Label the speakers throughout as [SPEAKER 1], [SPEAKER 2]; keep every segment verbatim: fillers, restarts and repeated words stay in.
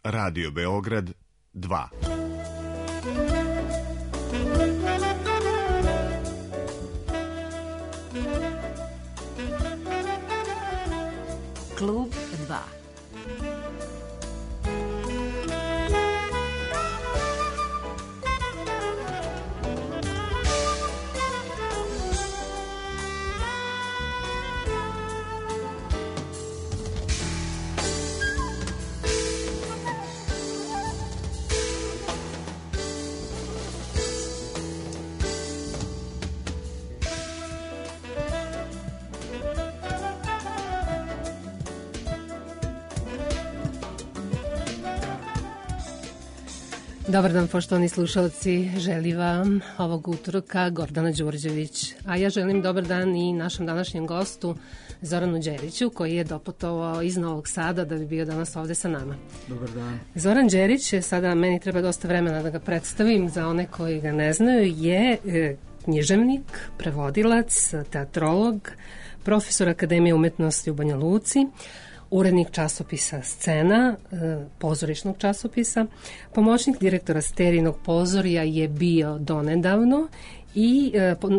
[SPEAKER 1] Radio Beograd dva.
[SPEAKER 2] Klub dva.
[SPEAKER 3] Dobar dan, poštovani slušalci, želi vam ovog utorka Gordana Đurđević, a ja želim dobar dan i našem današnjem gostu Zoranu Đeriću, koji je doputovao iz Novog Sada da bi bio danas ovde sa nama.
[SPEAKER 4] Dobar dan.
[SPEAKER 3] Zoran Đerić je, sada meni treba dosta vremena da ga predstavim za one koji ga ne znaju, je e, književnik, prevodilac, teatrolog, profesor Akademije umetnosti u Banja Luci, urednik časopisa Scena, pozorišnog časopisa, pomoćnik direktora Sterinog pozorja je bio donedavno i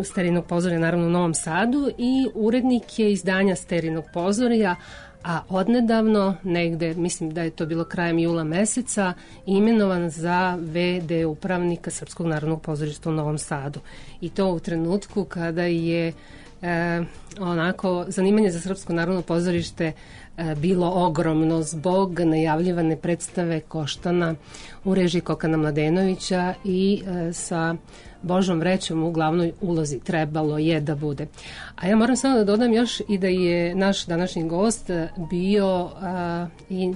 [SPEAKER 3] Sterinog pozorja naravno u Novom Sadu i urednik je izdanja Sterinog pozorja, a odnedavno, negde, mislim da je to bilo krajem jula meseca, imenovan za ve de upravnika Srpskog narodnog pozorišta u Novom Sadu. I to u trenutku kada je E, onako, zanimanje za Srpsko narodno pozorište e, bilo ogromno zbog najavljivane predstave Koštana u režiji Kokana Mladenovića i e, sa Božom vrećom u glavnoj ulozi trebalo je da bude. A ja moram samo da dodam još i da je naš današnji gost bio a, i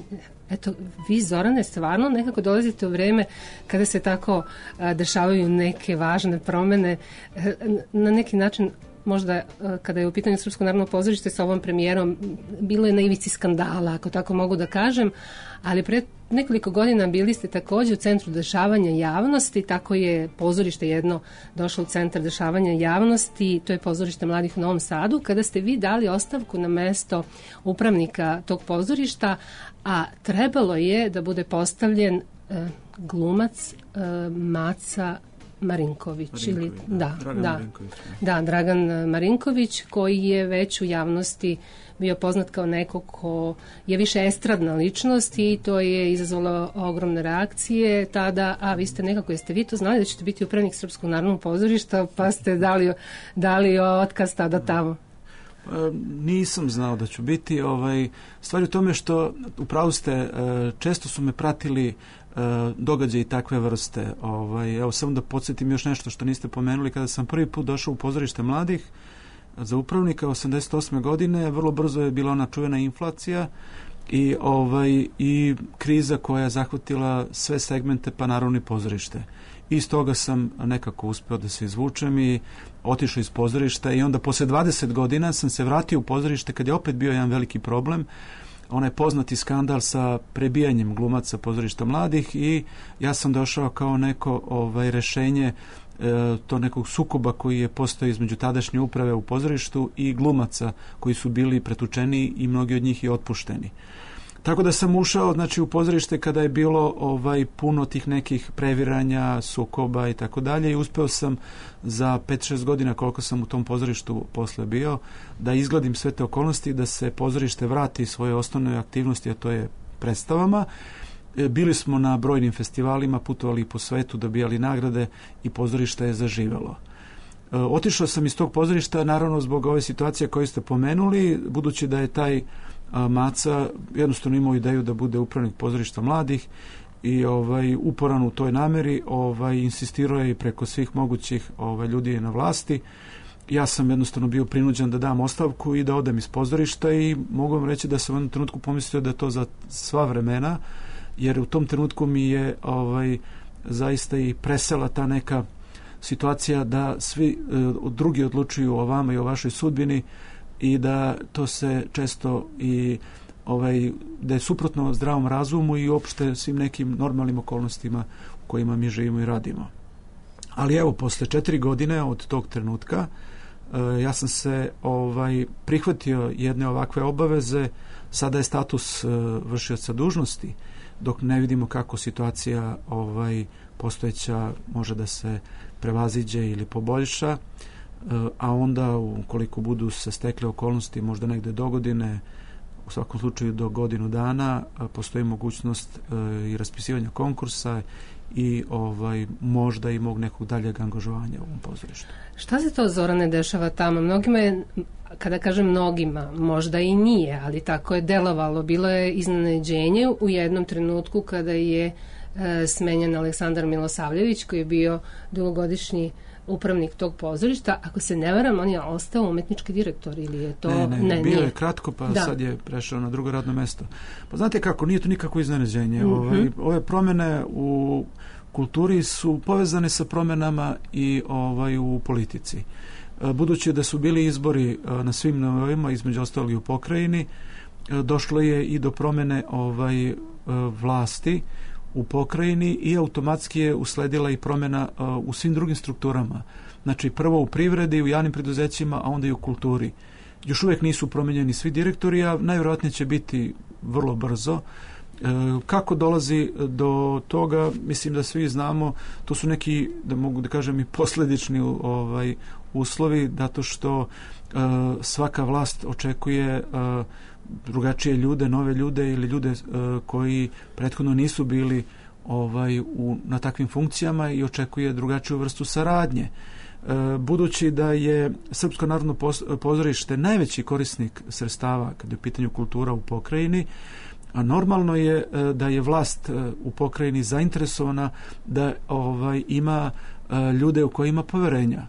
[SPEAKER 3] eto, vi, Zorane, stvarno nekako dolazite u vreme kada se tako a, dešavaju neke važne promene, a, na neki način možda kada je u pitanju Srpsko narodno pozorište sa ovom premijerom bilo je na ivici skandala, ako tako mogu da kažem, ali pre nekoliko godina bili ste takođe u centru dešavanja javnosti, tako je pozorište jedno došlo u centar dešavanja javnosti, to je pozorište mladih u Novom Sadu, kada ste vi dali ostavku na mesto upravnika tog pozorišta, a trebalo je da bude postavljen e, glumac e, Maca Marinković,
[SPEAKER 4] Marinković
[SPEAKER 3] ili da,
[SPEAKER 4] Dragan
[SPEAKER 3] da,
[SPEAKER 4] Marinković,
[SPEAKER 3] da, Dragan Marinković, koji je već u javnosti bio poznat kao neko ko je više estradna ličnost i to je izazvalo ogromne reakcije tada, a vi ste nekako, jeste vi to znali da ćete biti upravnik Srpskog narodnog pozorišta, pa ste dali, dali otkaz tada tamo?
[SPEAKER 4] Pa, nisam znao da ću biti. Ovaj, stvar je u tome što, upravo ste, često su me pratili događaje i takve vrste. Ovaj, evo samo da podsjetim još nešto što niste pomenuli. Kada sam prvi put došao u pozorište mladih za upravnika osamdeset osme godine, vrlo brzo je bila ona čuvena inflacija i, ovaj, i kriza koja je zahvatila sve segmente, pa naravno i pozorište. I iz toga sam nekako uspeo da se izvučem i otišao iz pozorišta i onda posle dvadeset godina sam se vratio u pozorište kad je opet bio jedan veliki problem, onaj poznati skandal sa prebijanjem glumaca pozorišta mladih i ja sam došao kao neko ovaj, rešenje e, to nekog sukoba koji je postojao između tadašnje uprave u pozorištu i glumaca koji su bili pretučeni i mnogi od njih i otpušteni. Tako da sam ušao, znači, u pozorište kada je bilo ovaj puno tih nekih previranja, sukoba i tako dalje i uspeo sam za pet šest godina koliko sam u tom pozorištu posle bio da izgladim sve te okolnosti, da se pozorište vrati svoje osnovne aktivnosti, a to je predstavama. Bili smo na brojnim festivalima, putovali po svetu, dobijali nagrade i pozorište je zaživelo. Otišao sam iz tog pozorišta naravno zbog ove situacije koje ste pomenuli, budući da je taj Maca jednostavno imao ideju da bude upravnik pozorišta mladih i ovaj uporan u toj nameri, ovaj insistirao je i preko svih mogućih ovaj ljudi na vlasti. Ja sam jednostavno bio prinuđen da dam ostavku i da odem iz pozorišta i mogu vam reći da sam u jednom trenutku pomislio da je to za sva vremena, jer u tom trenutku mi je ovaj zaista i presela ta neka situacija da svi e, drugi odlučuju o vama i o vašoj sudbini i da to se često i ovaj, da je suprotno zdravom razumu i uopšte svim nekim normalnim okolnostima u kojima mi živimo i radimo. Ali evo, posle četiri godine od tog trenutka e, ja sam se ovaj prihvatio jedne ovakve obaveze. Sada je status e, vršioca dužnosti dok ne vidimo kako situacija ovaj, postojeća može da se prevaziđe ili poboljša, a onda ukoliko budu se stekle okolnosti možda negde do godine, u svakom slučaju do godinu dana, postoji mogućnost i raspisivanja konkursa i ovaj možda i mog nekog daljeg angažovanja u ovom pozorištu.
[SPEAKER 3] Šta se to, Zorane, dešava tamo? Mnogima je, kada kažem mnogima, možda i nije, ali tako je delovalo. Bilo je iznenađenje u jednom trenutku kada je e, smenjen Aleksandar Milosavljević, koji je bio dugogodišnji upravnik tog pozorišta. Ako se ne varam, on je ostao umetnički direktor ili je to...
[SPEAKER 4] Ne, ne,
[SPEAKER 3] ne
[SPEAKER 4] bio
[SPEAKER 3] nije.
[SPEAKER 4] je kratko, pa
[SPEAKER 3] da.
[SPEAKER 4] sad je prešao na drugo radno mesto. Pa znate kako, nije to nikako iznenađenje.
[SPEAKER 3] Mm-hmm.
[SPEAKER 4] Ovaj, ove promene u kulturi su povezane sa promenama i ovaj u politici. Budući da su bili izbori na svim nivoima, između ostalih u pokrajini, došlo je i do promene ovaj vlasti u pokrajini i automatski je usledila i promjena u svim drugim strukturama. Znači prvo u privredi, u javnim preduzećima, a onda i u kulturi. Još uvijek nisu promenjeni svi direktori, a najvjerojatnije će biti vrlo brzo. Kako dolazi do toga, mislim da svi znamo, to su neki, da mogu da kažem, i posledični ovaj, uslovi, zato što uh, svaka vlast očekuje uh, drugačije ljude, nove ljude ili ljude uh, koji prethodno nisu bili ovaj, u, na takvim funkcijama i očekuje drugačiju vrstu saradnje. Uh, budući da je Srpsko narodno pozorište najveći korisnik sredstava kada je u pitanju kultura u pokrajini, a normalno je da je vlast u pokrajini zainteresovana da ovaj ima ljude u koje ima poverenja.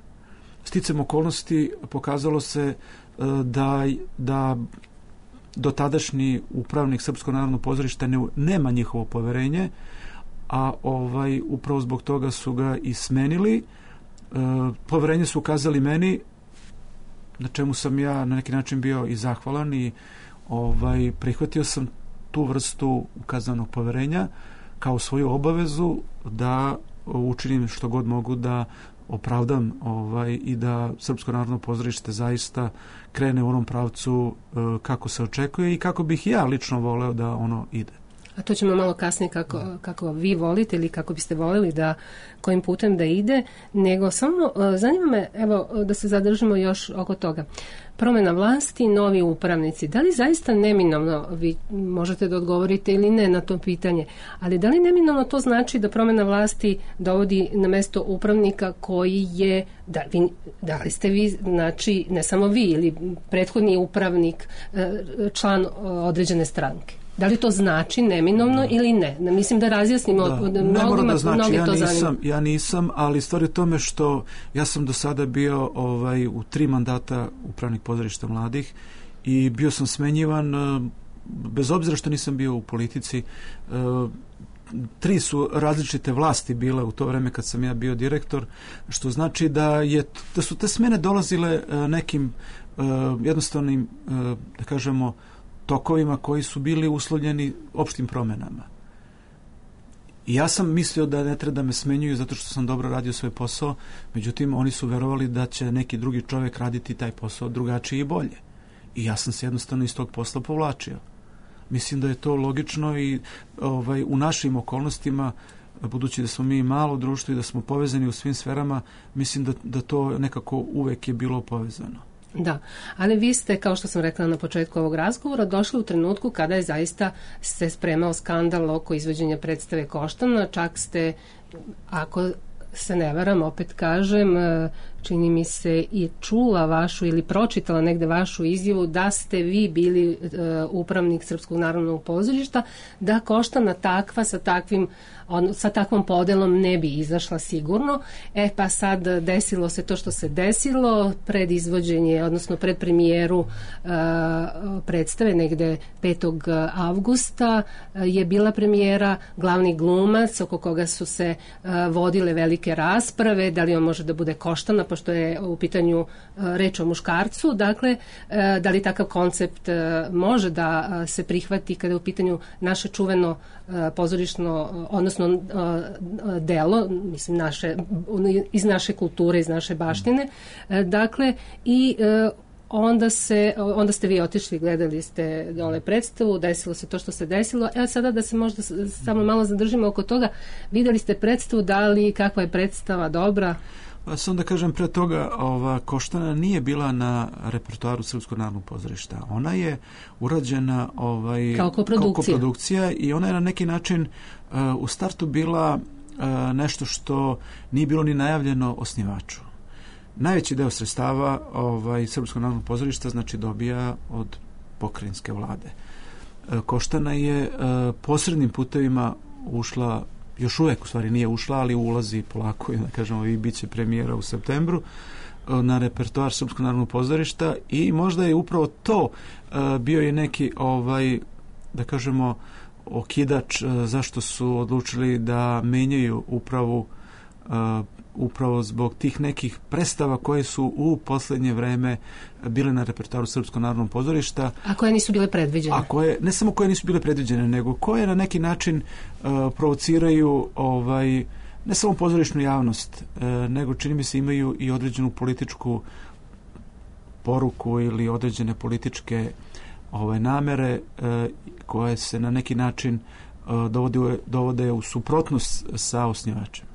[SPEAKER 4] Sticam okolnosti pokazalo se da, da dotadašnji upravnik Srpskog narodnog pozorišta ne, nema njihovo poverenje, a ovaj upravo zbog toga su ga i smenili. Poverenje su ukazali meni, na čemu sam ja na neki način bio i zahvalan i ovaj prihvatio sam tu vrstu ukazanog poverenja kao svoju obavezu da učinim što god mogu da opravdam ovaj, i da Srpsko narodno pozorište zaista krene u onom pravcu e, kako se očekuje i kako bih ja lično voleo da ono ide.
[SPEAKER 3] A to ćemo malo kasnije kako, kako vi volite ili kako biste voleli da kojim putem da ide, nego samo zanima me, evo, da se zadržimo još oko toga. Promjena vlasti, novi upravnici. Da li zaista neminovno, vi možete da odgovorite ili ne na to pitanje, ali da li neminovno to znači da promjena vlasti dovodi na mesto upravnika koji je, da, vi, da li ste vi, znači, ne samo vi ili prethodni upravnik, član određene stranke? Da li to znači neminovno ili ne? Mislim da razjasnimo.
[SPEAKER 4] Da,
[SPEAKER 3] od
[SPEAKER 4] ne
[SPEAKER 3] mnogima,
[SPEAKER 4] mora da znači, ja
[SPEAKER 3] to
[SPEAKER 4] nisam, ja nisam, ali stvar je u tome što ja sam do sada bio ovaj, u tri mandata upravnik pozorišta mladih i bio sam smenjivan, bez obzira što nisam bio u politici. Tri su različite vlasti bile u to vreme kad sam ja bio direktor, što znači da, je, da su te smene dolazile nekim jednostavnim, da kažemo, tokovima koji su bili uslovljeni opštim promenama. I ja sam mislio da ne treba da me smenjuju zato što sam dobro radio svoj posao, međutim oni su verovali da će neki drugi čovjek raditi taj posao drugačije i bolje. I ja sam se jednostavno iz tog posla povlačio. Mislim da je to logično i ovaj, u našim okolnostima, budući da smo mi malo društvo i da smo povezani u svim sferama, mislim da, da to nekako uvek je bilo povezano.
[SPEAKER 3] Da, ali vi ste, kao što sam rekla na početku ovog razgovora, došli u trenutku kada je zaista se spremao skandal oko izvođenja predstave Koštana, čak ste, ako se ne varam, opet kažem, čini mi se i čula vašu ili pročitala negde vašu izjavu da ste vi bili uh, upravnik Srpskog narodnog pozorišta, da Koštana takva sa takvim on, sa takvom podelom ne bi izašla sigurno. E pa sad desilo se to što se desilo, pred izvođenje, odnosno pred premijeru uh, predstave negde petog avgusta uh, je bila premijera, glavni glumac oko koga su se uh, vodile velike rasprave, da li on može da bude Koštana, pošto je u pitanju uh, reč o muškarcu, dakle, uh, da li takav koncept uh, može da uh, se prihvati kada je u pitanju naše čuveno uh, pozorišno, uh, odnosno uh, delo, mislim, naše, iz naše kulture, iz naše baštine. Uh, dakle, i uh, onda, se, onda ste vi otišli, gledali ste dole predstavu, desilo se to što se desilo. Evo sada da se možda samo malo zadržimo oko toga. Videli ste predstavu, da li, kakva je predstava, dobra?
[SPEAKER 4] Pa sam da kažem, pre toga ova Koštana nije bila na repertoaru Srpskog narodnog pozorišta. Ona je urađena ovaj,
[SPEAKER 3] kao koprodukcija.
[SPEAKER 4] Kao koprodukcija i ona je na neki način uh, u startu bila uh, nešto što nije bilo ni najavljeno osnivaču. Najveći deo sredstava ovaj, Srpskog narodnog pozorišta znači dobija od pokrajinske vlade. Uh, Koštana je uh, posrednim putevima ušla, još uvek u stvari nije ušla, ali ulazi polako, da kažemo, i bit će premijera u septembru na repertoar Srpskog narodnog pozorišta i možda je upravo to uh, bio je neki ovaj, da kažemo, okidač uh, zašto su odlučili da menjaju upravu uh, upravo zbog tih nekih predstava koje su u poslednje vreme bile na repertoaru Srpskog narodnog pozorišta.
[SPEAKER 3] A koje nisu bile predviđene?
[SPEAKER 4] A koje, ne samo koje nisu bile predviđene, nego koje na neki način uh, provociraju ovaj, ne samo pozorišnu javnost, uh, nego čini mi se imaju i određenu političku poruku ili određene političke ovaj, namere uh, koje se na neki način uh, dovode, dovode u suprotnost sa osnivačem.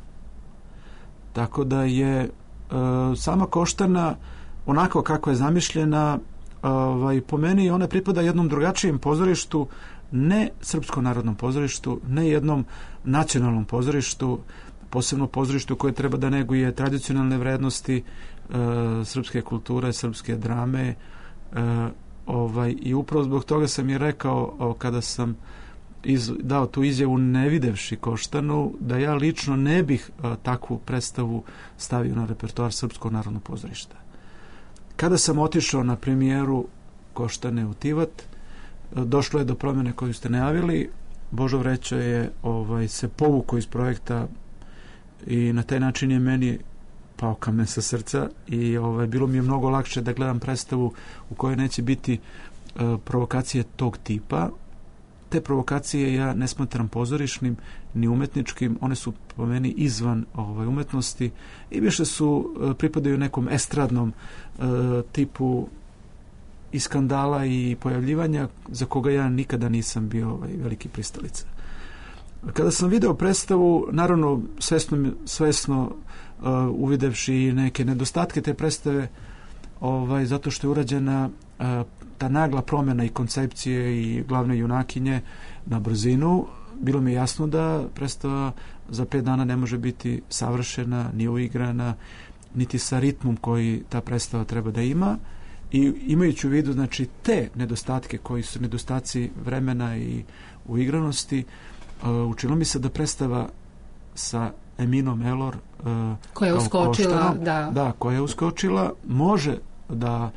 [SPEAKER 4] Tako da je e, sama Koštana onako kako je zamišljena, ovaj, po meni ona pripada jednom drugačijem pozorištu, ne Srpskom narodnom pozorištu, ne jednom nacionalnom pozorištu, posebno pozorištu koje treba da neguje tradicionalne vrednosti e, srpske kulture, srpske drame. E, ovaj, I upravo zbog toga sam je rekao o, kada sam Iz, dao tu izjavu ne videvši Koštanu, da ja lično ne bih a, takvu predstavu stavio na repertoar Srpskog narodnog pozorišta. Kada sam otišao na premijeru Koštane u Tivat, a, došlo je do promjene koju ste najavili. Božo Vreća je ovaj, se povukao iz projekta i na taj način je meni pao kamen sa srca i ovaj, bilo mi je mnogo lakše da gledam predstavu u kojoj neće biti a, provokacije tog tipa. Te provokacije ja ne smatram pozorišnim ni umetničkim, one su po meni izvan ovaj, umetnosti i više su, pripadaju nekom estradnom e, tipu i skandala i pojavljivanja za koga ja nikada nisam bio ovaj, veliki pristalica. Kada sam video predstavu, naravno svesno, svesno uh, uvidevši neke nedostatke te predstave, ovaj, zato što je urađena uh, ta nagla promjena i koncepcije i glavne junakinje na brzinu, bilo mi je jasno da predstava za pet dana ne može biti savršena, ni uigrana, niti sa ritmom koji ta predstava treba da ima. I imajući u vidu, znači, te nedostatke koji su nedostaci vremena i uigranosti, uh, učinilo mi se da predstava sa Eminom Elor uh,
[SPEAKER 3] koja je uskočila,
[SPEAKER 4] Koštanom,
[SPEAKER 3] da.
[SPEAKER 4] da, koja je uskočila, može da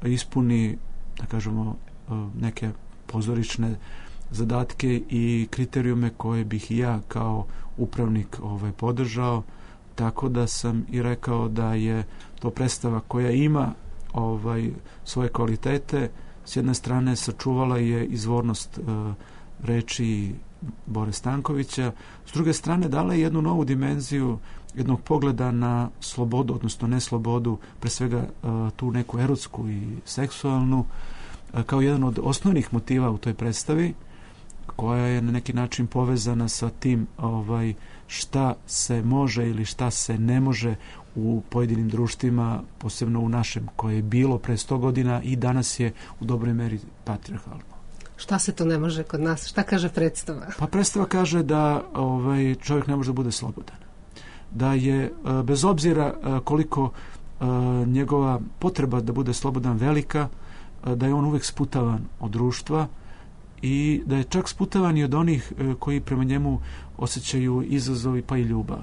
[SPEAKER 4] ispuni, da kažemo, uh, neke pozorišne zadatke i kriterijume koje bih i ja kao upravnik ovaj, podržao, tako da sam i rekao da je to predstava koja ima ovaj, svoje kvalitete. S jedne strane sačuvala je izvornost uh, reči Bore Stankovića, s druge strane dala je jednu novu dimenziju jednog pogleda na slobodu, odnosno ne slobodu, pre svega uh, tu neku erotsku i seksualnu, uh, kao jedan od osnovnih motiva u toj predstavi, koja je na neki način povezana sa tim ovaj, šta se može ili šta se ne može u pojedinim društvima, posebno u našem, koje je bilo pre sto godina i danas je u dobroj meri patrijarhalno.
[SPEAKER 3] Šta se to ne može kod nas? Šta kaže predstava?
[SPEAKER 4] Pa predstava kaže da ovaj, čovjek ne može da bude slobodan. Da je, bez obzira koliko njegova potreba da bude slobodan velika, da je on uvek sputavan od društva i da je čak sputavan i od onih koji prema njemu osjećaju izazovi pa i ljubav.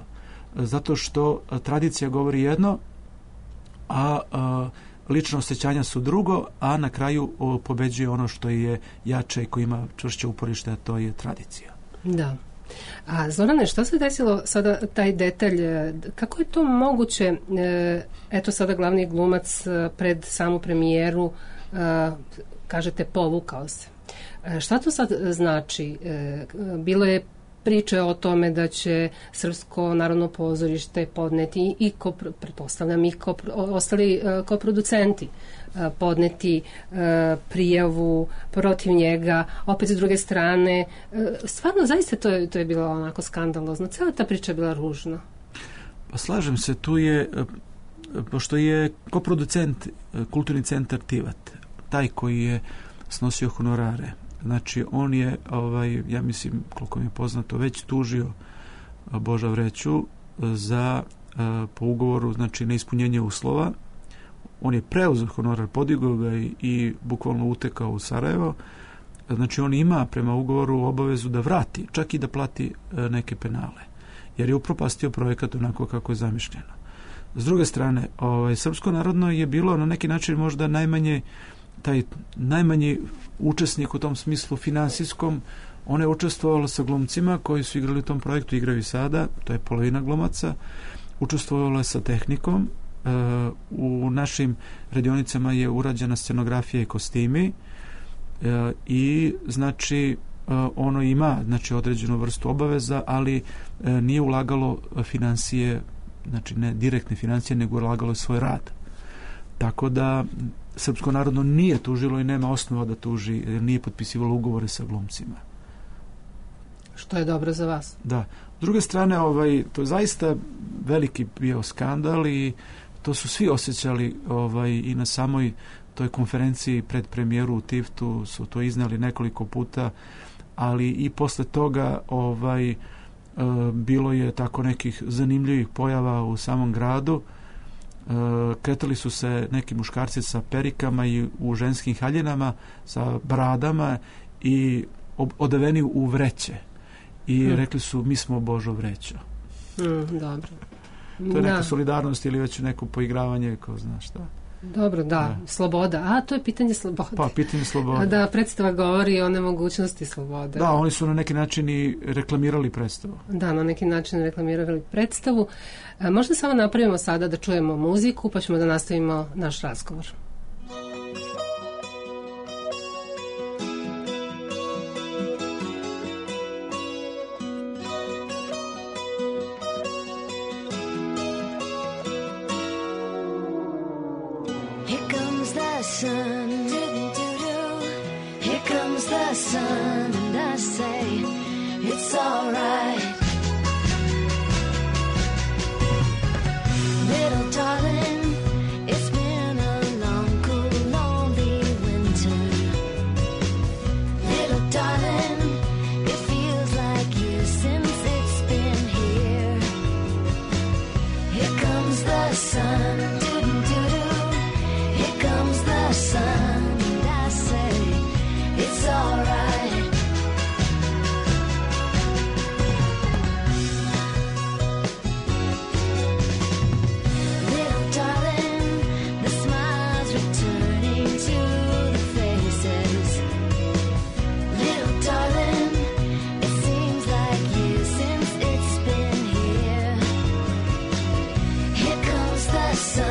[SPEAKER 4] Zato što tradicija govori jedno, a, a lična osjećanja su drugo, a na kraju o, pobeđuje ono što je jače i koji ima čvršće uporište, a to je tradicija.
[SPEAKER 3] Da. A Zorane, što se desilo sada taj detalj, kako je to moguće, eto sada glavni glumac pred samu premijeru, kažete povukao se. Šta to sad znači? Bilo je priče o tome da će Srpsko narodno pozorište podneti i, ko, pretpostavljam, i ko, ostali uh, koproducenti uh, podneti uh, prijavu protiv njega, opet s druge strane. Uh, stvarno, zaista to je, to je bilo onako skandalozno. Cela ta priča je bila ružna.
[SPEAKER 4] Pa slažem se, tu je, pošto je koproducent Kulturni centar Tivat, taj koji je snosio honorare. Znači, on je, ovaj, ja mislim, koliko mi je poznato, već tužio Boža Vreću za, po ugovoru, znači, neispunjenje uslova. On je preuzeo honorar, podigao ga i, i bukvalno utekao u Sarajevo. Znači, on ima prema ugovoru obavezu da vrati, čak i da plati neke penale, jer je upropastio projekat onako kako je zamišljeno. S druge strane, ovaj, Srpsko narodno je bilo na neki način možda najmanje taj najmanji učesnik u tom smislu finansijskom. Ona je učestvovala sa glumcima koji su igrali u tom projektu, igraju i sada, to je polovina glumaca. Učestvovala je sa tehnikom. E, u našim radionicama je urađena scenografija i kostimi e, i znači ono ima, znači, određenu vrstu obaveza, ali e, nije ulagalo financije, znači ne direktne financije, nego ulagalo svoj rad. Tako da Srpsko narodno nije tužilo i nema osnova da tuži, jer nije potpisivalo ugovore sa glumcima.
[SPEAKER 3] Što je dobro za vas.
[SPEAKER 4] Da. S druge strane, ovaj, to je zaista veliki bio skandal i to su svi osjećali, ovaj, i na samoj toj konferenciji pred premijeru u Tiftu su to iznali nekoliko puta, ali i posle toga ovaj, e, bilo je tako nekih zanimljivih pojava u samom gradu. E, kretali su se neki muškarci sa perikama i u ženskim haljinama, sa bradama i ob, odeveni u vreće. I hmm. rekli su, mi smo Božo Vrećo.
[SPEAKER 3] Hmm, dobro.
[SPEAKER 4] To je neka da. solidarnost ili već neko poigravanje, ko zna šta.
[SPEAKER 3] Dobro, da, da, sloboda. A, to je pitanje slobode.
[SPEAKER 4] Pa, pitanje slobode.
[SPEAKER 3] Da, predstava govori o nemogućnosti slobode.
[SPEAKER 4] Da, oni su na neki način i reklamirali predstavu.
[SPEAKER 3] Da, na neki način reklamirali predstavu. E, možda samo napravimo sada da čujemo muziku, pa ćemo da nastavimo naš razgovor.
[SPEAKER 2] Sun, here comes the sun, and I say it's all right. Little darling, it's been a long, cool, lonely winter. Little darling, it feels like years since it's been here. Here comes the sun. Sun, and I say it's all right. Little darling, the smiles returning to the faces. Little darling, it seems like years since it's been here. Here comes the sun.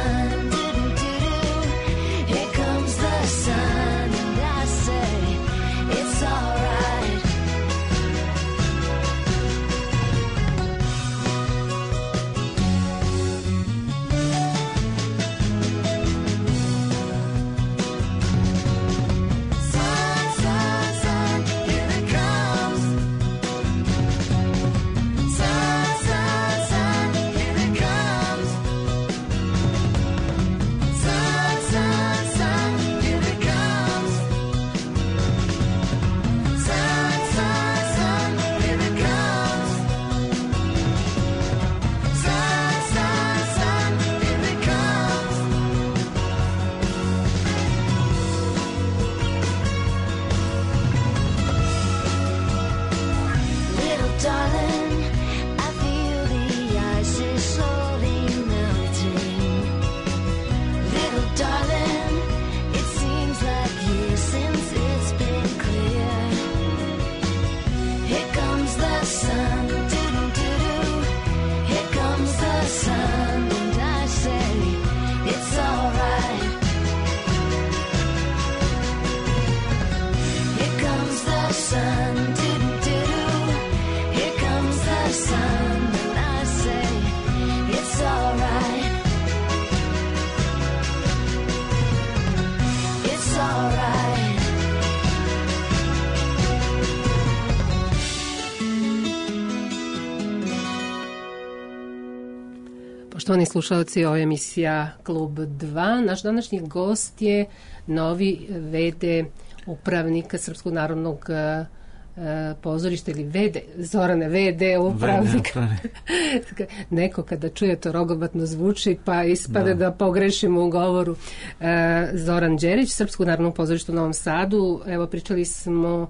[SPEAKER 3] Poštovani slušalci, ovo je emisija Klub dva. Naš današnji gost je novi ve de upravnika Srpskog narodnog e, pozorišta ili ve de, Zorane, ve de upravnik. Neko kada čuje to rogobatno zvuči pa ispade da, da pogrešimo u govoru. E, Zoran Đerić, Srpskog narodnog pozorišta u Novom Sadu. Evo, pričali smo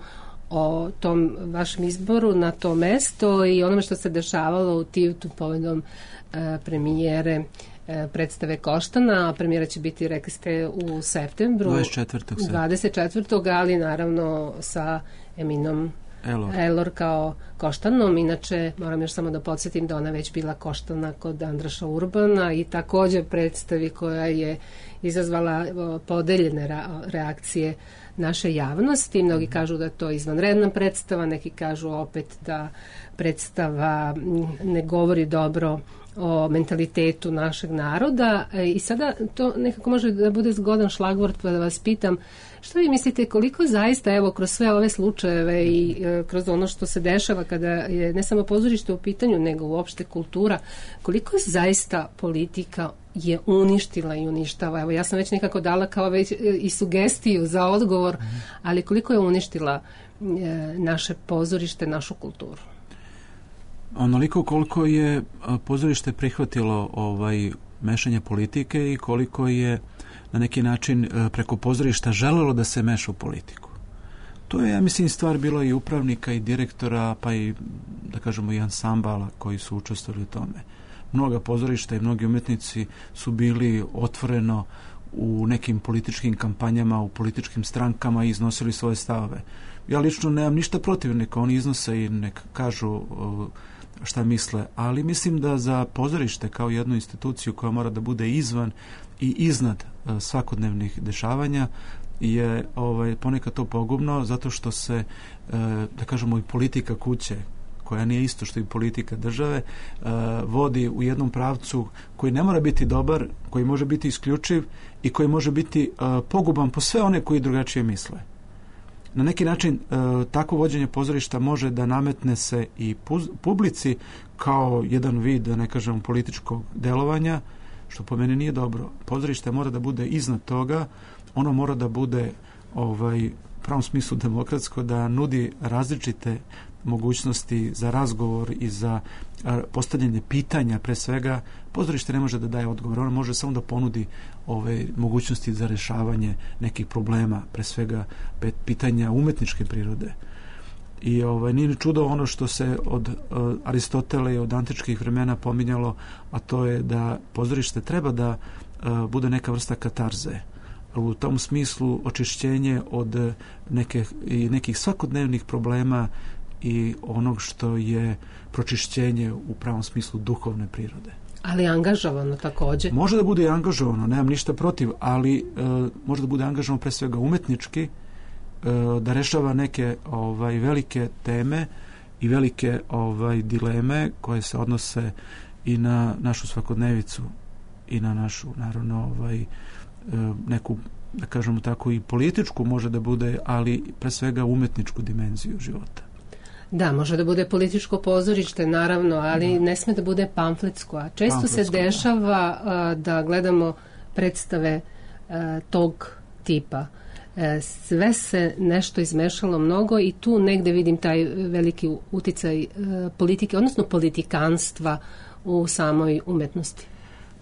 [SPEAKER 3] o tom vašem izboru na to mesto i onome što se dešavalo u Tijutu povodom e, premijere e, predstave Koštana, a premijera će biti, rekli ste, u septembru.
[SPEAKER 4] dvadeset četvrtog
[SPEAKER 3] dvadeset četvrtog ali naravno sa Eminom
[SPEAKER 4] Elor.
[SPEAKER 3] Elor kao Koštanom. Inače, moram još samo da podsjetim da ona već bila Koštana kod Andraša Urbana i također predstavi koja je izazvala podeljene reakcije naše javnosti. Mnogi kažu da je to izvanredna predstava, neki kažu opet da predstava ne govori dobro o mentalitetu našeg naroda i sada to nekako može da bude zgodan šlagvort pa da vas pitam što vi mislite koliko zaista evo kroz sve ove slučajeve i e, kroz ono što se dešava kada je ne samo pozorište u pitanju nego uopšte kultura, koliko zaista politika je uništila i uništava. Evo ja sam već nekako dala kao već i sugestiju za odgovor, ali koliko je uništila e, naše pozorište, našu kulturu?
[SPEAKER 4] Onoliko koliko je pozorište prihvatilo ovaj mešanje politike i koliko je na neki način preko pozorišta želelo da se meša u politiku. To je, ja mislim, stvar bilo i upravnika i direktora, pa i, da kažemo, i ansambala koji su učestvovali u tome. Mnoga pozorišta i mnogi umetnici su bili otvoreno u nekim političkim kampanjama, u političkim strankama i iznosili svoje stavove. Ja lično nemam ništa protiv, neka oni iznose i neka kažu šta misle, ali mislim da za pozorište kao jednu instituciju koja mora da bude izvan i iznad svakodnevnih dešavanja je ovaj, ponekad to pogubno zato što se, da kažemo, i politika kuće, koja nije isto što i politika države, vodi u jednom pravcu koji ne mora biti dobar, koji može biti isključiv i koji može biti poguban po sve one koji drugačije misle. Na neki način e, tako vođenje pozorišta može da nametne se i puz, publici kao jedan vid, da ne kažem, političkog delovanja, što po meni nije dobro. Pozorište mora da bude iznad toga, ono mora da bude ovaj, u pravom smislu demokratsko, da nudi različite mogućnosti za razgovor i za postavljanje pitanja. Pre svega, pozorište ne može da daje odgovor, ono može samo da ponudi ove mogućnosti za rešavanje nekih problema, pre svega pitanja umetničke prirode. I ovaj, nije ni čudo ono što se od uh, Aristotela i od antičkih vremena pominjalo, a to je da pozorište treba da uh, bude neka vrsta katarze. U tom smislu očišćenje od neke, i nekih svakodnevnih problema i onog što je pročišćenje u pravom smislu duhovne prirode.
[SPEAKER 3] Ali angažovano također?
[SPEAKER 4] Može da bude i angažovano, nemam ništa protiv, ali e, može da bude angažovano pre svega umetnički, e, da rešava neke ovaj, velike teme i velike ovaj, dileme koje se odnose i na našu svakodnevicu i na našu, naravno, ovaj, e, neku, da kažemo tako, i političku može da bude, ali pre svega umetničku dimenziju života.
[SPEAKER 3] Da, može da bude političko pozorište, naravno, ali da. Ne sme da bude pamfletsko. A često pamfletsko, se dešava da. da gledamo predstave a, tog tipa. E, sve se nešto izmešalo mnogo i tu negde vidim taj veliki uticaj a, politike, odnosno politikanstva u samoj umetnosti.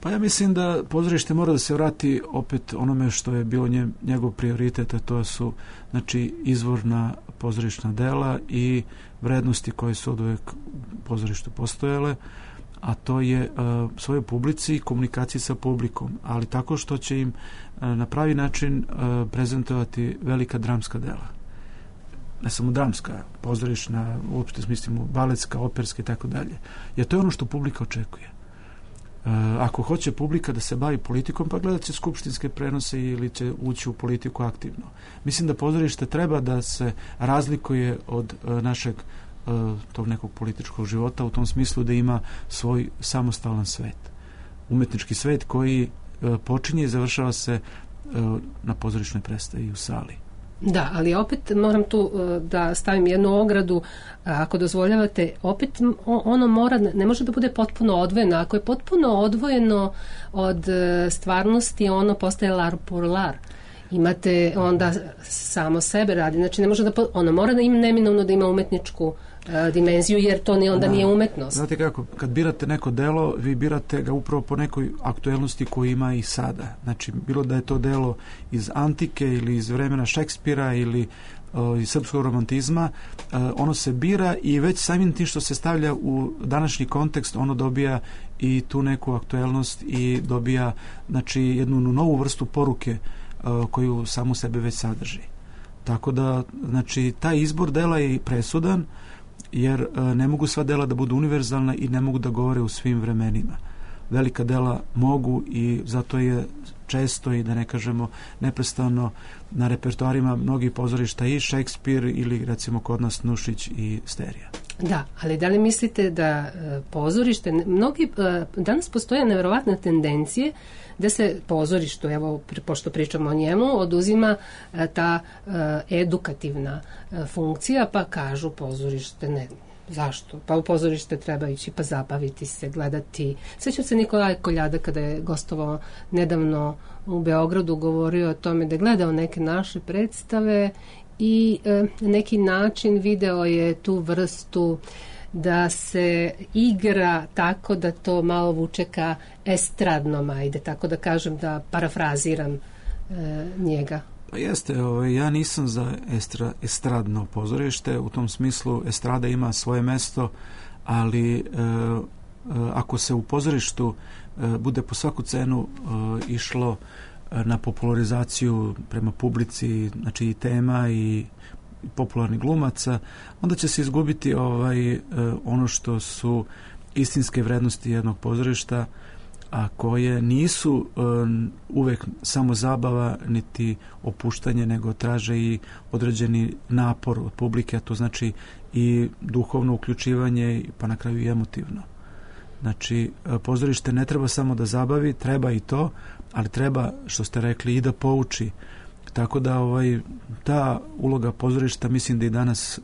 [SPEAKER 4] Pa ja mislim da pozorište mora da se vrati opet onome što je bilo nje, njegov prioritet, a to su, znači, izvorna pozorišna dela i vrednosti koje su od uvek u pozorištu postojale, a to je uh, svojoj publici i komunikaciji sa publikom, ali tako što će im uh, na pravi način uh, prezentovati velika dramska dela. Ne samo dramska, pozorišna, uopšte smislimo baletska, operska i tako dalje. Jer to je ono što publika očekuje. Uh, ako hoće publika da se bavi politikom, pa gledat će skupštinske prenose ili će ući u politiku aktivno. Mislim da pozorište treba da se razlikuje od uh, našeg uh, tog nekog političkog života u tom smislu da ima svoj samostalan svet. Umetnički svet koji uh, počinje i završava se uh, na pozorišnoj predstavi u sali.
[SPEAKER 3] Da, ali opet moram tu uh, da stavim jednu ogradu, uh, ako dozvoljavate, opet m- o- ono mora, ne može da bude potpuno odvojeno. Ako je potpuno odvojeno od uh, stvarnosti, ono postaje lar pour lar. Imate onda samo sebe radi, znači ne može da, po- ono mora da ima neminovno da ima umetničku uh, dimenziju, jer to ni onda
[SPEAKER 4] Da.
[SPEAKER 3] nije umetnost.
[SPEAKER 4] Znate kako, kad birate neko delo, vi birate ga upravo po nekoj aktuelnosti koju ima i sada. Znači, bilo da je to delo iz antike ili iz vremena Šekspira ili uh, iz srpskog romantizma, uh, ono se bira i već samim tim što se stavlja u današnji kontekst, ono dobija i tu neku aktuelnost i dobija, znači, jednu novu vrstu poruke uh, koju samu sebe već sadrži. Tako da, znači, taj izbor dela je presudan, jer e, ne mogu sva dela da budu univerzalna i ne mogu da govore u svim vremenima. Velika dela mogu i zato je često i da ne kažemo neprestano na repertoarima mnogih pozorišta i Šekspir ili recimo kod nas Nušić i Sterija.
[SPEAKER 3] Da, ali da li mislite da e, pozorište, mnogi, e, danas postoje nevjerovatne tendencije da se pozorištu, evo, pri- pošto pričamo o njemu, oduzima e, ta e, edukativna e, funkcija, pa kažu pozorište ne. Zašto? Pa u pozorište treba ići, pa zabaviti se, gledati. Sećam se Nikolaj Koljada kada je gostovao nedavno u Beogradu, govorio o tome da je gledao neke naše predstave i e, na neki način video je tu vrstu da se igra tako da to malo vuče ka estradnom, ajde, tako da kažem, da parafraziram e, njega.
[SPEAKER 4] Pa jeste, ovaj, ja nisam za estra, estradno pozorište, u tom smislu estrada ima svoje mesto, ali e, e, ako se u pozorištu e, bude po svaku cenu e, išlo e, na popularizaciju prema publici, znači i tema i popularnih glumaca, onda će se izgubiti ovaj, e, ono što su istinske vrednosti jednog pozorišta, a koje nisu e, uvek samo zabava niti opuštanje, nego traže i određeni napor od publike, a to znači i duhovno uključivanje, pa na kraju i emotivno. Znači, e, pozorište ne treba samo da zabavi, treba i to, ali treba, što ste rekli, i da pouči. Tako da ovaj, ta uloga pozorišta mislim da i danas e,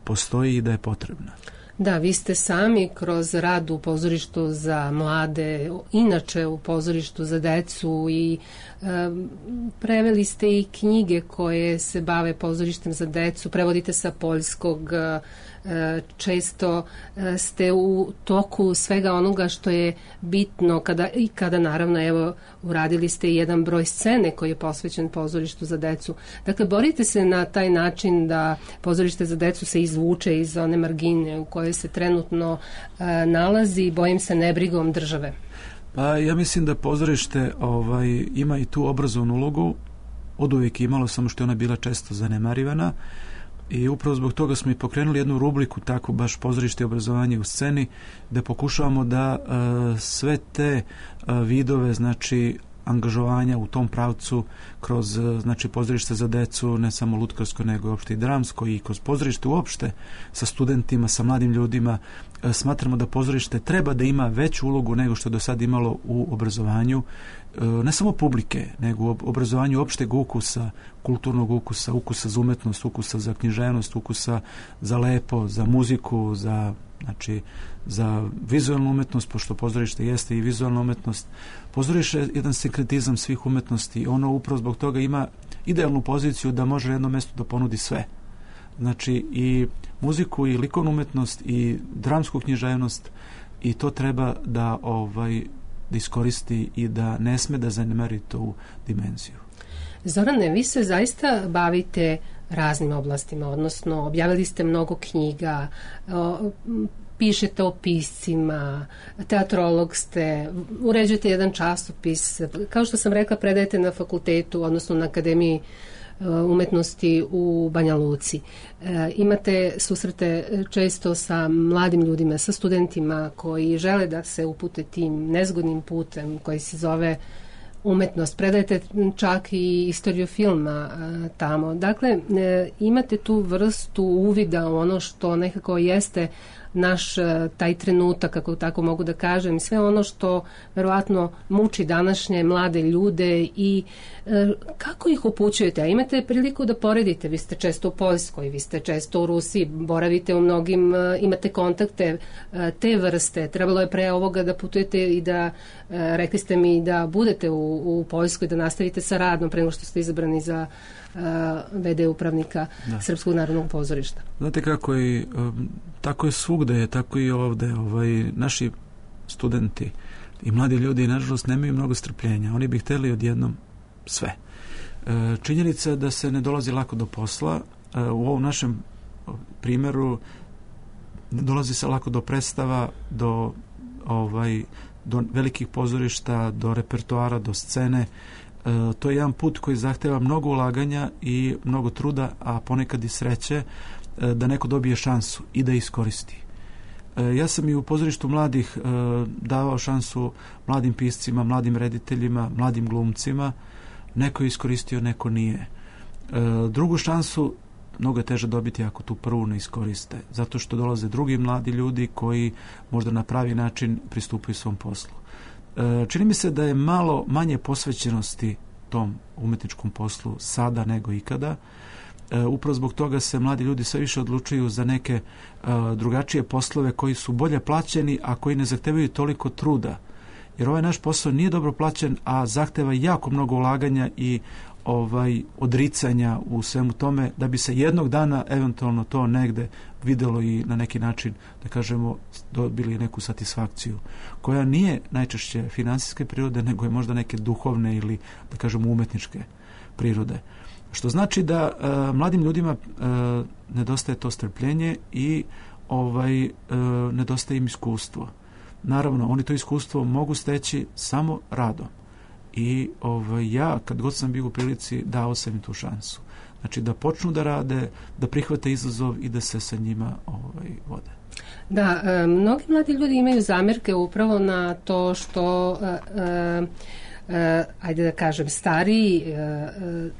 [SPEAKER 4] postoji i da je potrebna.
[SPEAKER 3] Da, vi ste sami kroz rad u pozorištu za mlade, inače u pozorištu za decu i e, preveli ste i knjige koje se bave pozorištem za decu, prevodite sa poljskog, e, često e, ste u toku svega onoga što je bitno kada, i kada naravno evo uradili ste i jedan broj scene koji je posvećen pozorištu za decu. Dakle, borite se na taj način da pozorište za decu se izvuče iz one margine u kojoj se trenutno e, nalazi, bojim se nebrigom države.
[SPEAKER 4] Pa ja mislim da pozorište ovaj, ima i tu obrazovnu ulogu, od uvijek imalo, samo što je ona bila često zanemarivana i upravo zbog toga smo i pokrenuli jednu rubriku, tako baš pozorište i obrazovanje u sceni, da pokušavamo da uh, sve te uh, vidove, znači angažovanja u tom pravcu kroz uh, znači pozorište za decu, ne samo lutkarsko nego uopšte i dramsko i kroz pozorište uopšte sa studentima, sa mladim ljudima, uh, smatramo da pozorište treba da ima veću ulogu nego što je do sad imalo u obrazovanju, ne samo publike, nego u obrazovanju opšteg ukusa, kulturnog ukusa, ukusa za umetnost, ukusa za književnost, ukusa za lepo, za muziku, za, znači, za vizualnu umetnost, pošto pozorište jeste i vizualna umetnost. Pozorište je jedan sinkretizam svih umetnosti. Ono upravo zbog toga ima idealnu poziciju da može na jednom mjestu da ponudi sve. Znači i muziku, i likovnu umetnost, i dramsku književnost, i to treba da ovaj da iskoristi i da ne sme da zanemari tu dimenziju.
[SPEAKER 3] Zorane, vi se zaista bavite raznim oblastima, odnosno objavili ste mnogo knjiga, o, pišete o piscima, teatrolog ste, uređujete jedan časopis, kao što sam rekla, predajete na fakultetu, odnosno na Akademiji umetnosti u Banja Luci. E, imate susrete često sa mladim ljudima, sa studentima koji žele da se upute tim nezgodnim putem koji se zove umetnost. Predajete čak i istoriju filma e, tamo. Dakle, e, imate tu vrstu uvida u ono što nekako jeste naš taj trenutak, kako tako mogu da kažem, i sve ono što verovatno muči današnje mlade ljude i kako ih upućujete? A imate priliku da poredite, vi ste često u Poljskoj, vi ste često u Rusiji, boravite u mnogim, imate kontakte te vrste, trebalo je pre ovoga da putujete i da, rekli ste mi da budete u, u Poljskoj, da nastavite sa radom pre nego što ste izabrani za ve de upravnika da. Srpskog narodnog pozorišta.
[SPEAKER 4] Znate kako je, tako je svugde, tako i ovde, ovaj, naši studenti i mladi ljudi, nažalost, nemaju mnogo strpljenja. Oni bi hteli odjednom sve. Činjenica je da se ne dolazi lako do posla. U ovom našem primjeru ne dolazi se lako do predstava, do, ovaj, do velikih pozorišta, do repertoara, do scene. To je jedan put koji zahteva mnogo ulaganja i mnogo truda, a ponekad i sreće da neko dobije šansu i da iskoristi. Ja sam i u pozorištu mladih davao šansu mladim piscima, mladim rediteljima, mladim glumcima. Neko je iskoristio, neko nije. Drugu šansu mnogo je teže dobiti ako tu prvu ne iskoriste, zato što dolaze drugi mladi ljudi koji možda na pravi način pristupaju svom poslu. Čini mi se da je malo manje posvećenosti tom umetničkom poslu sada nego ikada. Upravo zbog toga se mladi ljudi sve više odlučuju za neke drugačije poslove koji su bolje plaćeni, a koji ne zahtevaju toliko truda. Jer ovaj naš posao nije dobro plaćen, a zahteva jako mnogo ulaganja i ovaj odricanja u svemu tome, da bi se jednog dana eventualno to negde videlo i na neki način, da kažemo, dobili neku satisfakciju, koja nije najčešće finansijske prirode, nego je možda neke duhovne ili, da kažemo, umetničke prirode. Što znači da uh, mladim ljudima uh, nedostaje to strpljenje i ovaj uh, nedostaje im iskustvo. Naravno, oni to iskustvo mogu steći samo radom. I ovaj, ja, kad god sam bio u prilici, dao sam im tu šansu. Znači, da počnu da rade, da prihvate izazov i da se sa njima ovaj, vode.
[SPEAKER 3] Da, e, mnogi mladi ljudi imaju zamerke upravo na to što e, e, e, ajde da kažem, stariji e, e,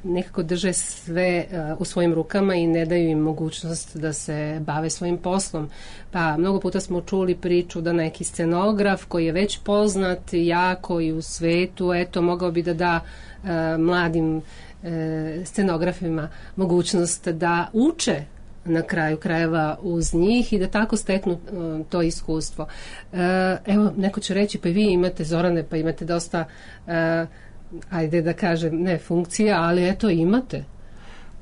[SPEAKER 3] nekako drže sve e, u svojim rukama i ne daju im mogućnost da se bave svojim poslom. Pa mnogo puta smo čuli priču da neki scenograf koji je već poznat jako i u svetu, eto, mogao bi da da e, mladim e, scenografima mogućnost da uče na kraju krajeva uz njih i da tako steknu uh, to iskustvo. Uh, evo, neko će reći, pa i vi imate, Zorane, pa imate dosta, uh, ajde da kažem, ne funkcija, ali eto, imate.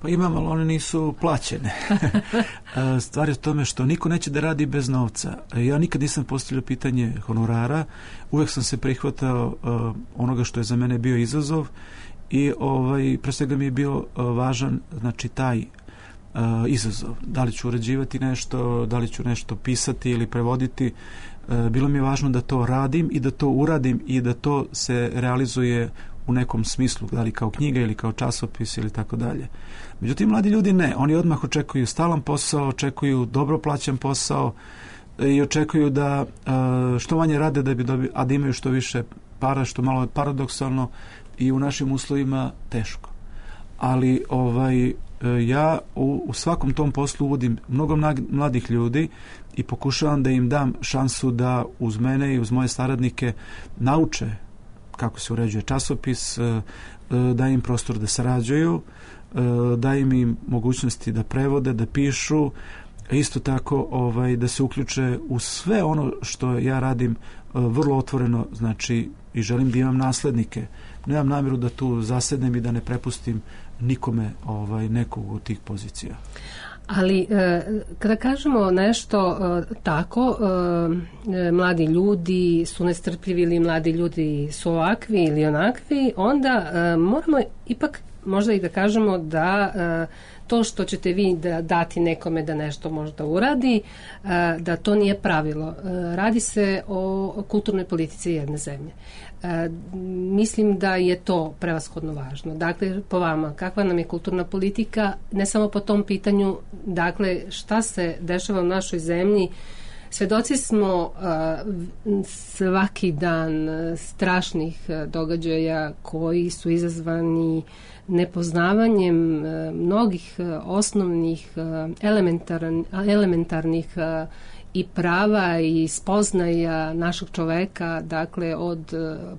[SPEAKER 4] Pa imam, ali one nisu plaćene. Stvar je u tome što niko neće da radi bez novca. Ja nikad nisam postavljao pitanje honorara, uvek sam se prihvatao uh, onoga što je za mene bio izazov i ovaj, pre svega mi je bio uh, važan, znači, taj Uh, izazov. Da li ću uređivati nešto, da li ću nešto pisati ili prevoditi. Uh, bilo mi je važno da to radim i da to uradim i da to se realizuje u nekom smislu, da li kao knjiga ili kao časopis ili tako dalje. Međutim, mladi ljudi ne. Oni odmah očekuju stalan posao, očekuju dobro plaćen posao i očekuju da uh, što manje rade da bi dobili, a da imaju što više para, što malo je paradoksalno i u našim uslovima teško. Ali ovaj ja u, u svakom tom poslu uvodim mnogo mladih ljudi i pokušavam da im dam šansu da uz mene i uz moje saradnike nauče kako se uređuje časopis, da im prostor da sarađuju, da im im mogućnosti da prevode, da pišu, isto tako ovaj, da se uključe u sve ono što ja radim vrlo otvoreno, znači, i želim da imam naslednike. Nemam namjeru da tu zasednem i da ne prepustim nikome ovaj, nekog od tih pozicija.
[SPEAKER 3] Ali e, kada kažemo nešto e, tako, e, mladi ljudi su nestrpljivi ili mladi ljudi su ovakvi ili onakvi, onda e, moramo ipak možda i da kažemo da e, to što ćete vi da dati nekome da nešto možda uradi, e, da to nije pravilo. E, radi se o kulturnoj politici jedne zemlje. E, mislim da je to prevashodno važno. Dakle, po vama, kakva nam je kulturna politika, ne samo po tom pitanju, dakle, šta se dešava u našoj zemlji. Svedoci smo uh, svaki dan strašnih uh, događaja koji su izazvani nepoznavanjem uh, mnogih uh, osnovnih uh, elementar, elementarnih uh, i prava i spoznaja našeg čoveka, dakle od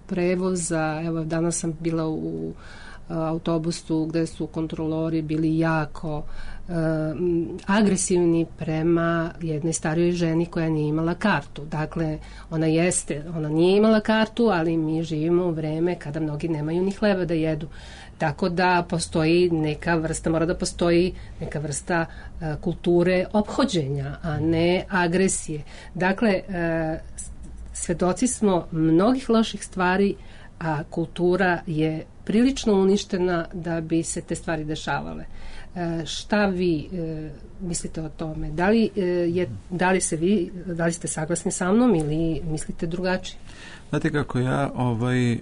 [SPEAKER 3] prevoza, evo danas sam bila u autobusu gde su kontrolori bili jako uh, agresivni prema jednoj starijoj ženi koja nije imala kartu. Dakle, ona jeste, ona nije imala kartu, ali mi živimo u vreme kada mnogi nemaju ni hleba da jedu. Tako da postoji neka vrsta, mora da postoji neka vrsta uh, kulture ophođenja, a ne agresije. Dakle, uh, svedoci smo mnogih loših stvari, a kultura je prilično uništena da bi se te stvari dešavale. E, šta vi e, mislite o tome? Da li, e, je, da li se vi, da li ste saglasni sa mnom ili mislite drugačije?
[SPEAKER 4] Znate kako, ja ovaj,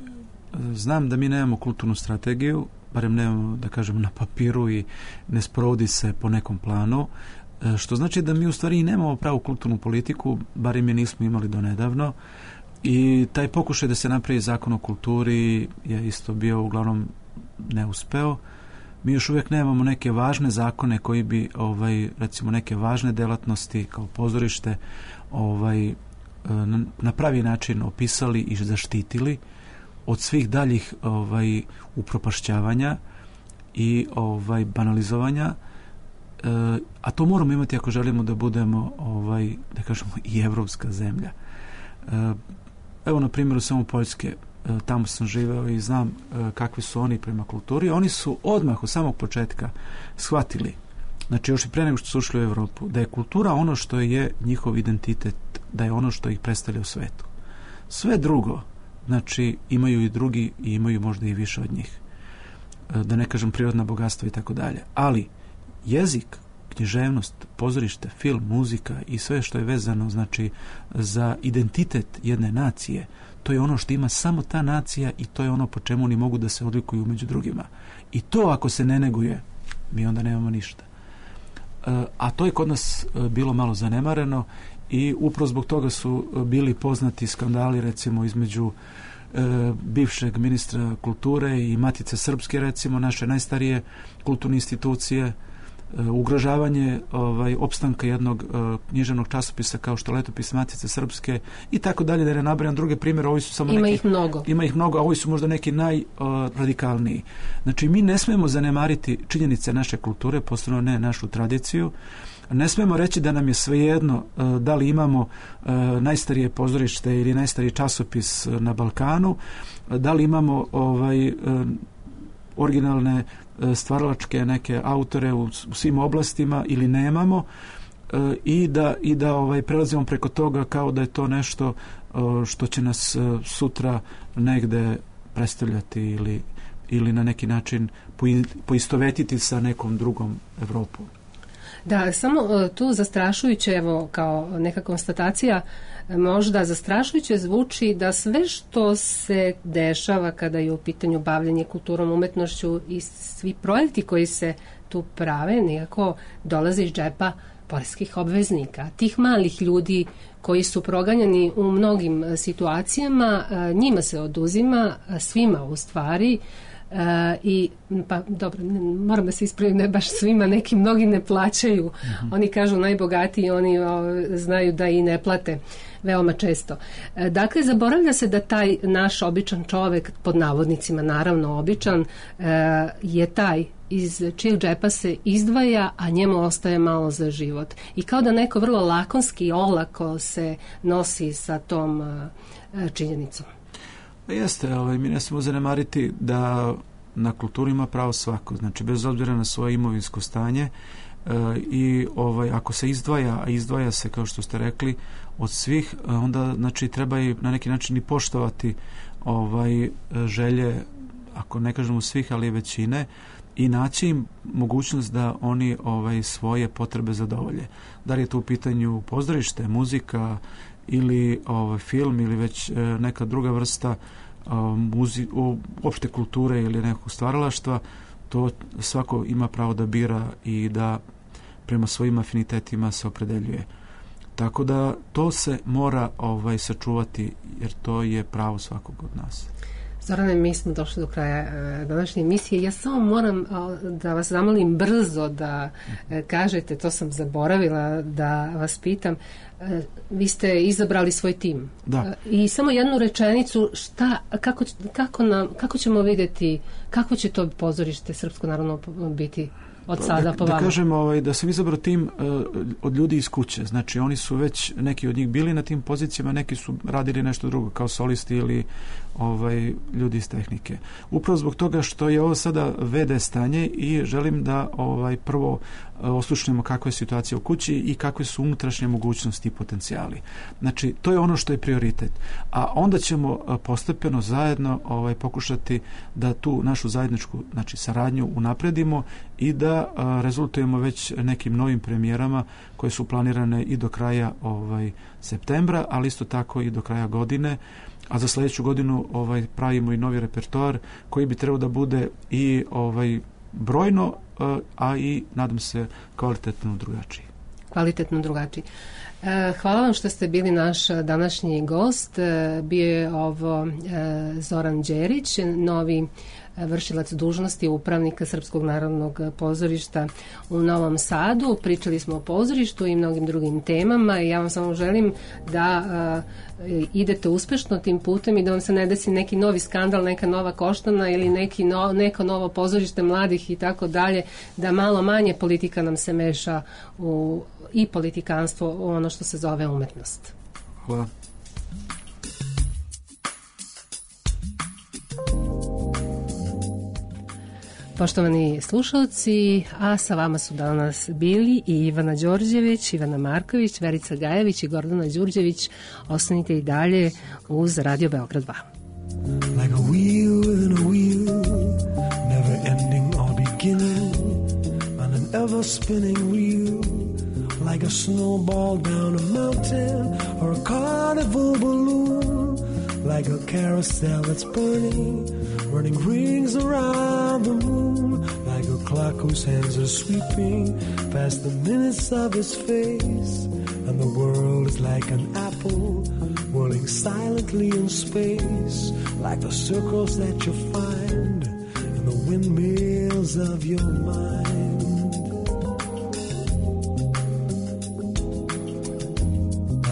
[SPEAKER 4] znam da mi nemamo kulturnu strategiju, barem nemamo, da kažemo, na papiru i ne sprovodi se po nekom planu, e, što znači da mi u stvari nemamo pravu kulturnu politiku, barem je nismo imali do nedavno. I taj pokušaj da se napravi zakon o kulturi je isto bio uglavnom neuspeo. Mi još uvijek nemamo neke važne zakone koji bi, ovaj, recimo, neke važne delatnosti kao pozorište ovaj, na pravi način opisali i zaštitili od svih daljih ovaj, upropašćavanja i ovaj, banalizovanja. E, a to moramo imati ako želimo da budemo, ovaj, da kažemo, i evropska zemlja. E, Evo, na primjeru samo Poljske, tamo sam živeo i znam kakvi su oni prema kulturi. Oni su odmah od samog početka shvatili, znači još i pre nego što su ušli u Evropu, da je kultura ono što je njihov identitet, da je ono što ih predstavlja u svetu. Sve drugo, znači, imaju i drugi i imaju možda i više od njih. Da ne kažem prirodna bogatstva i tako dalje. Ali jezik, književnost, pozorište, film, muzika i sve što je vezano, znači, za identitet jedne nacije, to je ono što ima samo ta nacija i to je ono po čemu oni mogu da se odlikuju među drugima. I to ako se ne neguje, mi onda nemamo ništa. A to je kod nas bilo malo zanemareno i upravo zbog toga su bili poznati skandali, recimo, između bivšeg ministra kulture i Matice Srpske, recimo, naše najstarije kulturne institucije, ugrožavanje ovaj, opstanka jednog uh, književnog časopisa kao što Letopis Matice Srpske i tako dalje, da ne nabrajam druge primjere. Ovi su samo
[SPEAKER 3] ima
[SPEAKER 4] neki,
[SPEAKER 3] ih mnogo.
[SPEAKER 4] Ima ih mnogo, a ovi su možda neki najradikalniji. Uh, znači, mi ne smemo zanemariti činjenice naše kulture, posebno ne našu tradiciju. Ne smemo reći da nam je svejedno uh, da li imamo uh, najstarije pozorište ili najstariji časopis na Balkanu, uh, da li imamo ovaj, uh, originalne stvaralačke neke autore u, u svim oblastima ili nemamo, e, i da, i da ovaj, prelazimo preko toga kao da je to nešto e, što će nas e, sutra negde predstavljati ili, ili na neki način poistovetiti sa nekom drugom Evropom.
[SPEAKER 3] Da, samo tu zastrašujuće, evo, kao neka konstatacija, možda zastrašujuće zvuči da sve što se dešava kada je u pitanju bavljanje kulturom, umetnošću i svi projekti koji se tu prave nekako dolaze iz džepa poreskih obveznika. Tih malih ljudi koji su proganjani u mnogim situacijama, njima se oduzima, svima u stvari. Uh, i pa dobro, moram da se ispravim, ne baš svima, neki mnogi ne plaćaju. Mm-hmm. Oni kažu najbogatiji, oni o, znaju da i ne plate veoma često. E, dakle, zaboravlja se da taj naš običan čovek, pod navodnicima naravno običan, e, je taj iz čijeg džepa se izdvaja, a njemu ostaje malo za život. I kao da neko vrlo lakonski i olako se nosi sa tom e, činjenicom.
[SPEAKER 4] Jeste, ovaj, mi ne smemo zanemariti da na kulturi ima pravo svako, znači bez obzira na svoje imovinsko stanje, e, i ovaj, ako se izdvaja, a izdvaja se, kao što ste rekli, od svih, onda znači treba i na neki način i poštovati ovaj, želje, ako ne kažemo svih, ali većine, i naći im mogućnost da oni ovaj, svoje potrebe zadovolje. Da li je to u pitanju pozorište, muzika, ili ovaj, film ili već e, neka druga vrsta e, muzi, o, opšte kulture ili nekog stvaralaštva, to svako ima pravo da bira i da prema svojim afinitetima se opredeljuje. Tako da to se mora ovaj, sačuvati, jer to je pravo svakog od nas.
[SPEAKER 3] Zorane, mi smo došli do kraja e, današnje emisije. Ja samo moram a, da vas zamolim brzo da e, kažete, to sam zaboravila da vas pitam, e, vi ste izabrali svoj tim.
[SPEAKER 4] Da.
[SPEAKER 3] E, I samo jednu rečenicu, šta, kako, kako, nam, kako ćemo vidjeti, kako će to pozorište Srpsko narodno biti od sada
[SPEAKER 4] da,
[SPEAKER 3] po
[SPEAKER 4] da
[SPEAKER 3] vama?
[SPEAKER 4] kažem ovaj, da sam izabrao tim uh, od ljudi iz kuće. Znači oni su već, neki od njih bili na tim pozicijama, neki su radili nešto drugo kao solisti ili ovaj, ljudi iz tehnike. Upravo zbog toga što je ovo sada ve de stanje i želim da ovaj, prvo uh, oslušnemo kakva je situacija u kući i kakve su unutrašnje mogućnosti i potencijali. Znači to je ono što je prioritet. A onda ćemo uh, postepeno zajedno ovaj, pokušati da tu našu zajedničku, znači, saradnju unapredimo i da a, rezultujemo već nekim novim premijerama koje su planirane i do kraja ovaj, septembra, ali isto tako i do kraja godine, a za sljedeću godinu ovaj, pravimo i novi repertoar koji bi trebao da bude i ovaj, brojno, a, a i nadam se kvalitetno drugačiji.
[SPEAKER 3] Kvalitetno drugačiji. E, hvala vam što ste bili naš današnji gost. E, bio je ovo e, Zoran Đerić, novi vršilac dužnosti upravnika Srpskog narodnog pozorišta u Novom Sadu. Pričali smo o pozorištu i mnogim drugim temama i ja vam samo želim da uh, idete uspešno tim putem i da vam se ne desi neki novi skandal, neka nova koštana ili neki no, neko novo pozorište mladih i tako dalje, da malo manje politika nam se meša u, i politikanstvo u ono što se zove umetnost.
[SPEAKER 4] Hvala.
[SPEAKER 3] Poštovani slušalci, a sa vama su danas bili i Ivana Đorđević, Ivana Marković, Verica Gajević i Gordana Đurđević. Ostanite i dalje uz Radio Beograd dva.
[SPEAKER 5] Like a wheel within a wheel, never ending or beginning, on an ever spinning wheel, like a snowball down a mountain or a carnival balloon, like a carousel that's burning, running rings around the moon, like a clock whose hands are sweeping past the minutes of his face, and the world is like an apple whirling silently in space, like the circles that you find in the windmills of your mind.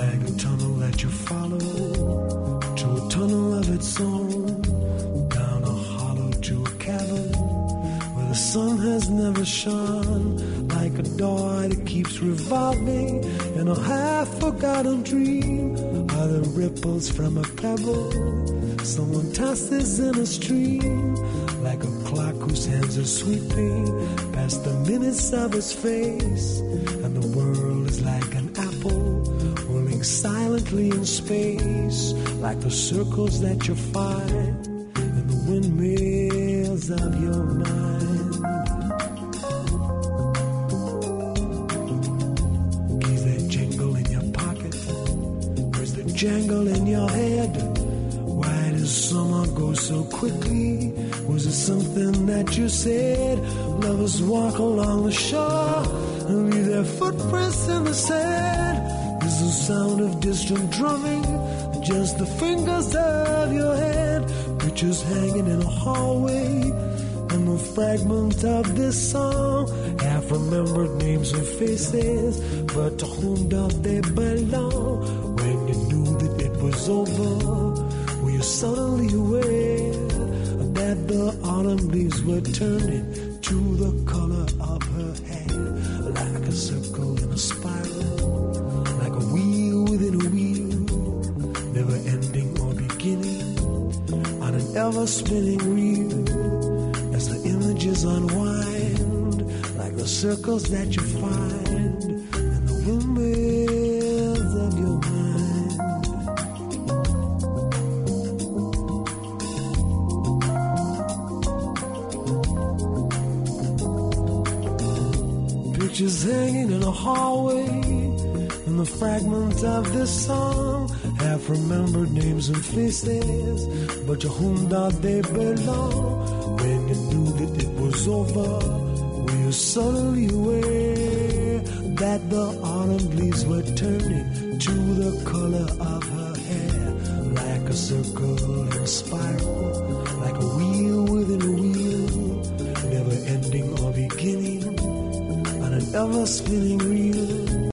[SPEAKER 5] Like a tunnel that you follow to a tunnel of its own, down a hollow to a cavern where the sun has never shone, like a door that keeps revolving in a half-forgotten dream, are the ripples from a pebble someone tosses in a stream, like a clock whose hands are sweeping past the minutes of his face, and the world is like an apple whirling silently in space, like the circles that you find in the windmills of your mind. Keys that jingle in your pocket, words that jangle in your head. Why does summer go so quickly? Was it something that you said? Lovers walk along the shore and leave their footprints in the sand. Is the sound of distant drumming just the fingers of your hand? Pictures hanging in a hallway and the fragment of this song, half-remembered names and faces, but to whom do they belong? When you knew that it was over, were you suddenly aware that the autumn leaves were turning to the color of her hair, like a circle in a spiral, like a wheel within a wheel, never ending or beginning, on an ever-spinning wheel, as the images unwind, like the circles that you find in the windmills of your mind. Pictures hanging in a hallway, and the fragment of this song, half-remembered names and faces, but to whom do they belong? When you knew that it was over, were you suddenly aware that the autumn leaves were turning to the color of her hair, like a a circle and a spiral, like a wheel within a wheel, never ending or beginning, on an ever spinning wheel.